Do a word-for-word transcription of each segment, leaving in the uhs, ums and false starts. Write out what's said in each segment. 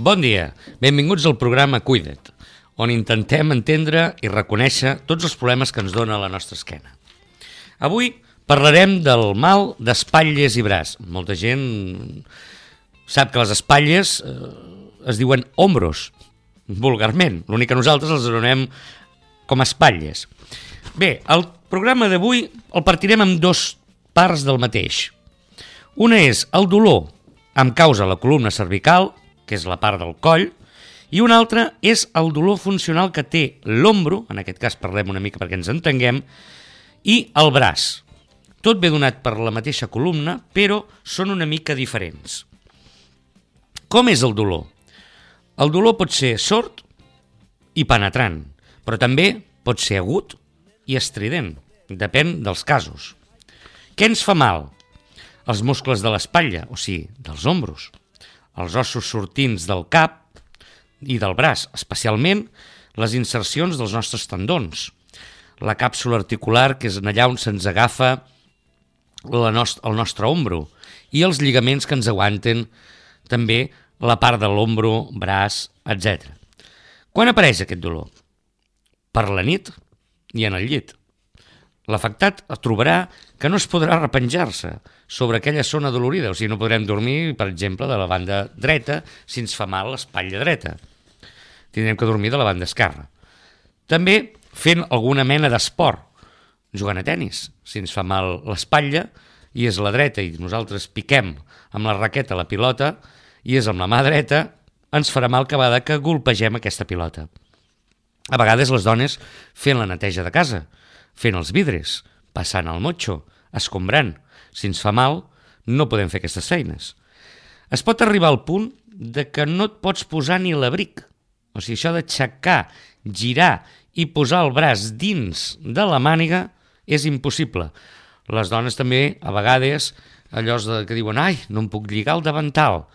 Bon dia, benvinguts al programa Cuida't, on intentem entendre i reconèixer tots els problemes que ens dona la nostra esquena. Avui parlarem del mal d'espatlles i braç. Molta gent sap que les espatlles eh, es diuen hombros, vulgarment. L'únic que nosaltres els anomenem com a espatlles. Bé, el programa d'avui el partirem en dos parts del mateix. Una és el dolor amb causa la columna cervical, que és la part del coll, i una altra és el dolor funcional que té l'ombro, en aquest cas parlem una mica perquè ens entenguem, i el braç. Tot ve donat per la mateixa columna, però són una mica diferents. Com és el dolor? El dolor pot ser sord i penetrant, però també pot ser agut i estrident, depèn dels casos. Què ens fa mal? Els muscles de l'espatlla, o sigui, dels ombros, els ossos sortints del cap i del braç, especialment les insercions dels nostres tendons, la càpsula articular, que és allà on se'ns agafa la nost- el nostre ombro, i els lligaments que ens aguanten també la part de l'ombro, braç, etcètera. Quan apareix aquest dolor? Per la nit i en el llit. L'afectat trobarà que no es podrà repenjar-se sobre aquella zona dolorida, o sigui, no podrem dormir, per exemple, de la banda dreta si ens fa mal l'espatlla dreta. Tindrem que dormir de la banda esquerra. També fent alguna mena d'esport, jugant a tenis. Si ens fa mal l'espatlla i és la dreta i nosaltres piquem amb la raqueta la pilota i és amb la mà dreta, ens farà mal cada vegada que golpegem aquesta pilota. A vegades les dones fent la neteja de casa, fent els vidres, passant el motxo, escombrant. Si ens fa mal, no podem fer aquestes feines. Es pot arribar al punt de que no et pots posar ni l'abric. O sigui, això d'aixecar, girar i posar el braç dins de la màniga és impossible. Les dones també, a vegades, allò que diuen «Ai, no em puc lligar el davantal».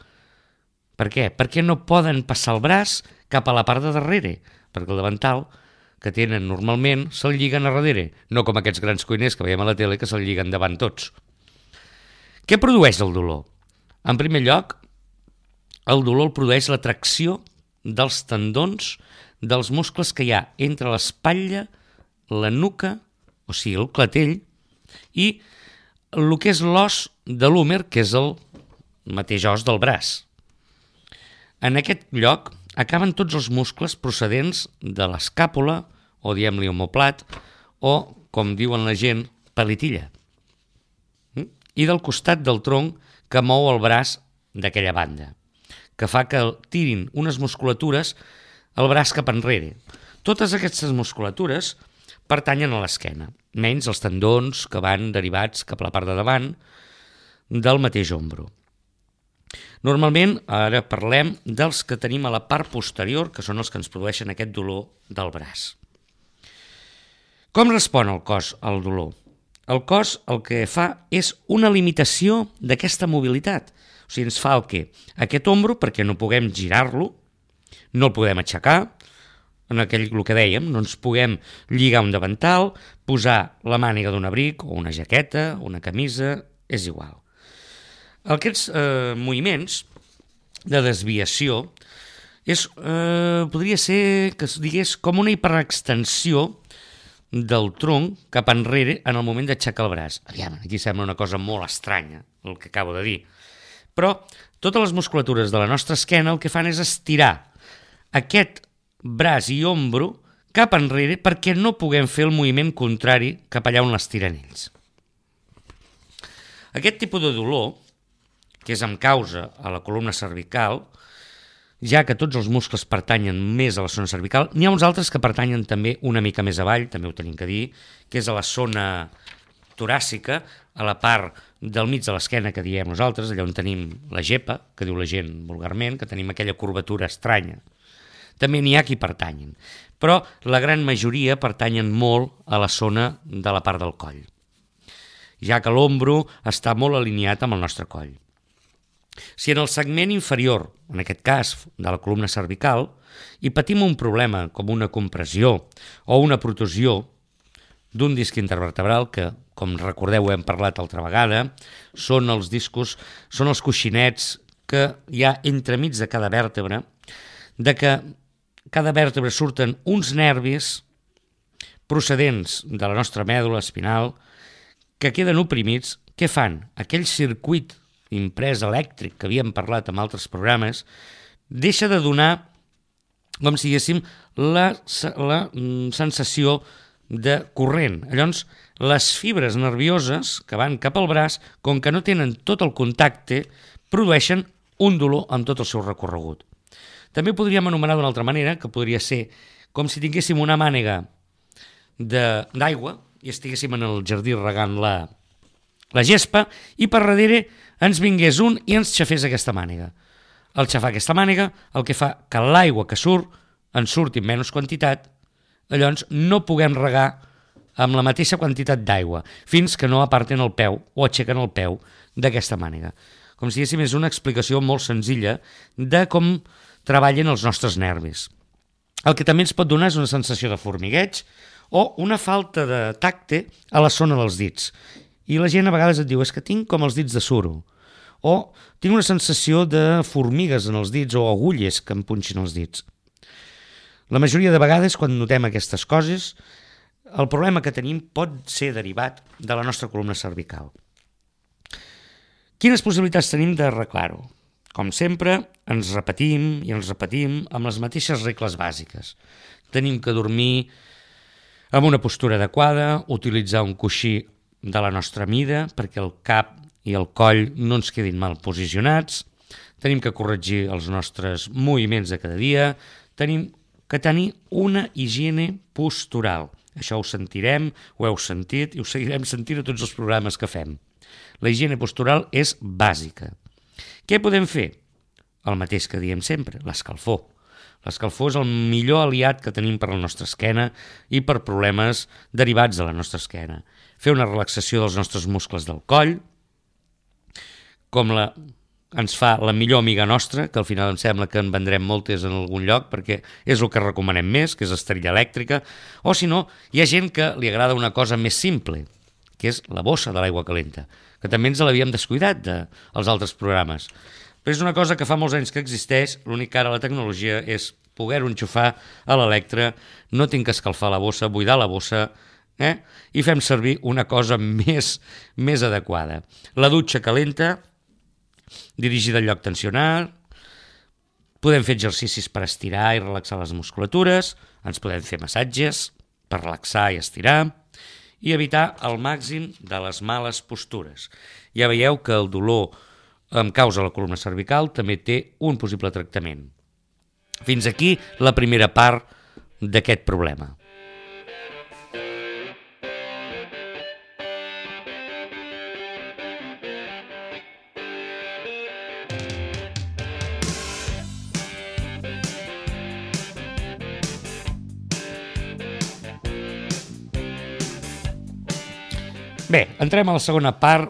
Per què? Perquè no poden passar el braç cap a la part de darrere, perquè el davantal que tenen normalment se'l lliguen a darrere, no com aquests grans cuiners que veiem a la tele que se'l lliguen davant tots. Què produeix el dolor? En primer lloc, el dolor el produeix la tracció dels tendons dels muscles que hi ha entre l'espatlla, la nuca, o sigui, el clatell, i el que és l'os de l'húmer, que és el mateix os del braç. En aquest lloc acaben tots els muscles procedents de l'escàpula, o diem-li omoplat, o, com diuen la gent, palitilla. I del costat del tronc que mou el braç d'aquella banda, que fa que tirin unes musculatures el braç cap enrere. Totes aquestes musculatures pertanyen a l'esquena, menys els tendons que van derivats cap a la part de davant del mateix ombro. Normalment, ara parlem dels que tenim a la part posterior, que són els que ens produeixen aquest dolor del braç. Com respon el cos al dolor? El cos el que fa és una limitació d'aquesta mobilitat. O sigui, ens fa el què? Aquest ombro, perquè no puguem girar-lo, no el podem aixecar, en aquell el que dèiem, no ens puguem lligar un davantal, posar la màniga d'un abric o una jaqueta, una camisa, és igual. Aquests eh, moviments de desviació és, eh, podria ser que es digués com una hiperextensió del tronc cap enrere en el moment d'aixecar el braç. Aviam, aquí sembla una cosa molt estranya, el que acabo de dir. Però totes les musculatures de la nostra esquena el que fan és estirar aquest braç i ombro cap enrere perquè no puguem fer el moviment contrari cap allà on l'estiren ells. Aquest tipus de dolor, que és amb causa a la columna cervical, ja que tots els muscles pertanyen més a la zona cervical, n'hi ha uns altres que pertanyen també una mica més avall, també ho tenim que dir, que és a la zona toràcica, a la part del mig de l'esquena que diem nosaltres, allà on tenim la gepa, que diu la gent vulgarment, que tenim aquella curvatura estranya. També n'hi ha qui pertanyen, però la gran majoria pertanyen molt a la zona de la part del coll, ja que l'ombro està molt alineat amb el nostre coll. Si en el segment inferior, en aquest cas de la columna cervical, hi patim un problema com una compressió o una protusió d'un disc intervertebral que, com recordeu, hem parlat altra vegada, són els discos, són els coixinets que hi ha entremig de cada vèrtebra de que cada vèrtebra surten uns nervis procedents de la nostra mèdula espinal que queden oprimits. Què fan? Aquell circuit imprès elèctric que havíem parlat en altres programes deixa de donar, com si diguéssim, la, la sensació de corrent. Llavors, les fibres nervioses que van cap al braç, com que no tenen tot el contacte, produeixen un dolor amb tot el seu recorregut. També podríem anomenar d'una altra manera, que podria ser com si tinguéssim una mànega d'aigua i estiguéssim en el jardí regant la, la gespa i per darrere ens vingués un i ens xafés aquesta mànega. Al xafar aquesta mànega, el que fa que l'aigua que surt en surti en menys quantitat, llavors no puguem regar amb la mateixa quantitat d'aigua fins que no aparten el peu o aixequen el peu d'aquesta mànega. Com si diguéssim, és una explicació molt senzilla de com treballen els nostres nervis. El que també ens pot donar és una sensació de formigueig o una falta de tacte a la zona dels dits. I la gent a vegades et diu, és que tinc com els dits de suro, o tinc una sensació de formigues en els dits o agulles que em punxin els dits. La majoria de vegades, quan notem aquestes coses, el problema que tenim pot ser derivat de la nostra columna cervical. Quines possibilitats tenim d'arreglar-ho? Com sempre, ens repetim i ens repetim amb les mateixes regles bàsiques. Tenim que dormir amb una postura adequada, utilitzar un coixí de la nostra mida perquè el cap i el coll no ens quedin mal posicionats, tenim que corregir els nostres moviments de cada dia, tenim que tenir una higiene postural. Això ho sentirem, ho heu sentit i ho seguirem sentint a tots els programes que fem. La higiene postural és bàsica. Què podem fer? El mateix que diem sempre, l'escalfor. L'escalfor és el millor aliat que tenim per a la nostra esquena i per problemes derivats de la nostra esquena. Fer una relaxació dels nostres muscles del coll, com la, ens fa la millor amiga nostra, que al final em sembla que en vendrem moltes en algun lloc perquè és el que recomanem més, que és esterilla elèctrica, o si no, hi ha gent que li agrada una cosa més simple, que és la bossa de l'aigua calenta, que també ens l'havíem descuidat dels altres programes. Però és una cosa que fa molts anys que existeix, l'únic que ara la tecnologia és poder-ho enxufar a l'electre, no tinc que escalfar la bossa, buidar la bossa, eh? I fem servir una cosa més, més adequada. La dutxa calenta, dirigida al lloc tensionat, podem fer exercicis per estirar i relaxar les musculatures, ens podem fer massatges per relaxar i estirar, i evitar al màxim de les males postures. Ja veieu que el dolor amb causa la columna cervical també té un possible tractament. Fins aquí la primera part d'aquest problema. Bé, entrem a la segona part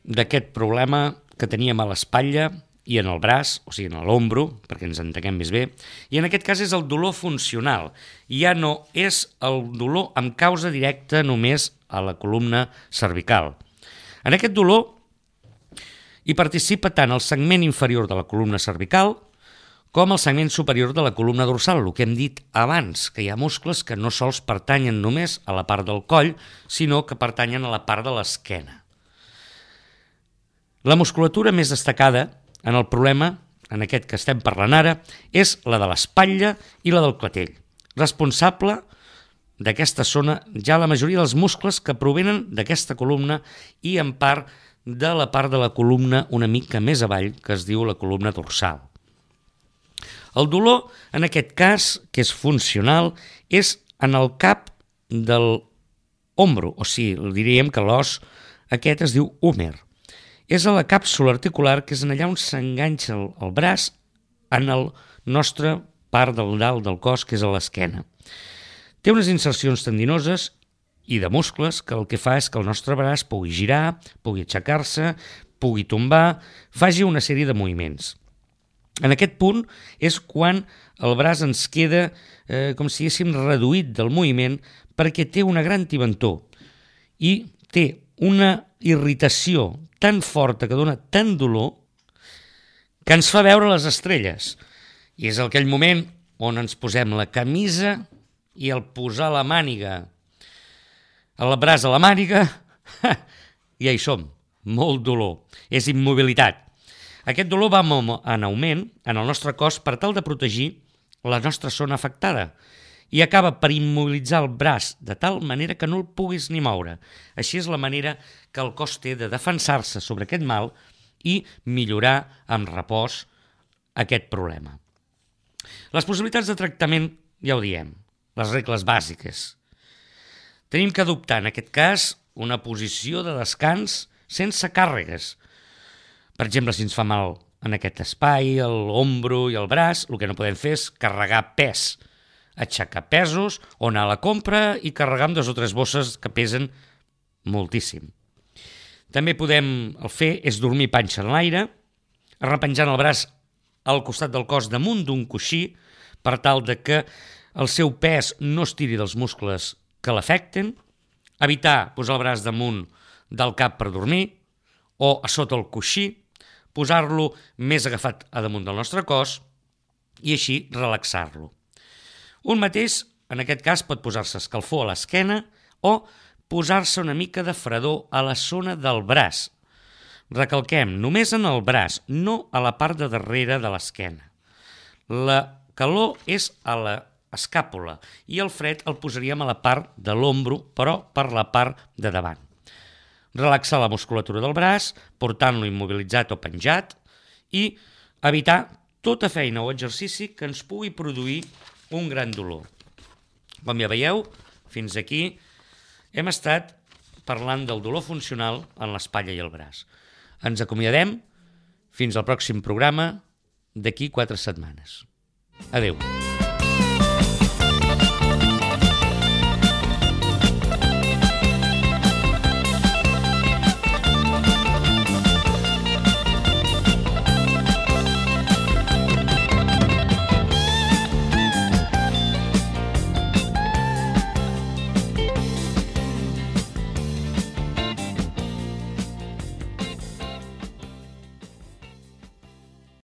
d'aquest problema que teníem a l'espatlla i en el braç, o sigui, en l'ombro, perquè ens entenguem més bé, i en aquest cas és el dolor funcional. Ja no és el dolor amb causa directa només a la columna cervical. En aquest dolor hi participa tant el segment inferior de la columna cervical com el segment superior de la columna dorsal, el que hem dit abans, que hi ha muscles que no sols pertanyen només a la part del coll, sinó que pertanyen a la part de l'esquena. La musculatura més destacada en el problema, en aquest que estem parlant ara, és la de l'espatlla i la del clatell. Responsable d'aquesta zona ja la majoria dels muscles que provenen d'aquesta columna i en part de la part de la columna una mica més avall, que es diu la columna dorsal. El dolor, en aquest cas, que és funcional, és en el cap del ombro, o sigui, diríem que l'os aquest es diu húmer. És a la càpsula articular, que és en allà on s'enganxa el, el braç en el nostre part del dalt del cos, que és a l'esquena. Té unes insercions tendinoses i de muscles que el que fa és que el nostre braç pugui girar, pugui aixecar-se, pugui tombar, faci una sèrie de moviments. En aquest punt és quan el braç ens queda eh, com si diguéssim reduït del moviment perquè té una gran tibantor i té una irritació tan forta que dona tant dolor que ens fa veure les estrelles. I és aquell moment on ens posem la camisa i al posar la màniga, el braç a la màniga, ja hi som, molt dolor, és immobilitat. Aquest dolor va en augment en el nostre cos per tal de protegir la nostra zona afectada i acaba per immobilitzar el braç de tal manera que no el puguis ni moure. Així és la manera que el cos té de defensar-se sobre aquest mal i millorar amb repòs aquest problema. Les possibilitats de tractament, ja ho diem, les regles bàsiques. Tenim que adoptar, en aquest cas, una posició de descans sense càrregues. Per exemple, si ens fa mal en aquest espai, l'ombro i el braç, el que no podem fer és carregar pes, aixecar pesos o anar a la compra i carregar amb dues o tres bosses que pesen moltíssim. També podem el fer és dormir panxa en l'aire, arrepenjant el braç al costat del cos damunt d'un coixí per tal de que el seu pes no es tiri dels muscles que l'afecten, evitar posar el braç damunt del cap per dormir o a sota el coixí, posar-lo més agafat a damunt del nostre cos i així relaxar-lo. Un mateix, en aquest cas, pot posar-se escalfor a l'esquena o posar-se una mica de fredor a la zona del braç. Recalquem, només en el braç, no a la part de darrere de l'esquena. La calor és a l'escàpula i el fred el posaríem a la part de l'ombro, però per la part de davant. Relaxar la musculatura del braç, portant-lo immobilitzat o penjat i evitar tota feina o exercici que ens pugui produir un gran dolor. Com ja veieu, fins aquí hem estat parlant del dolor funcional en l'espatlla i el braç. Ens acomiadem fins al pròxim programa d'aquí quatre setmanes. Adéu.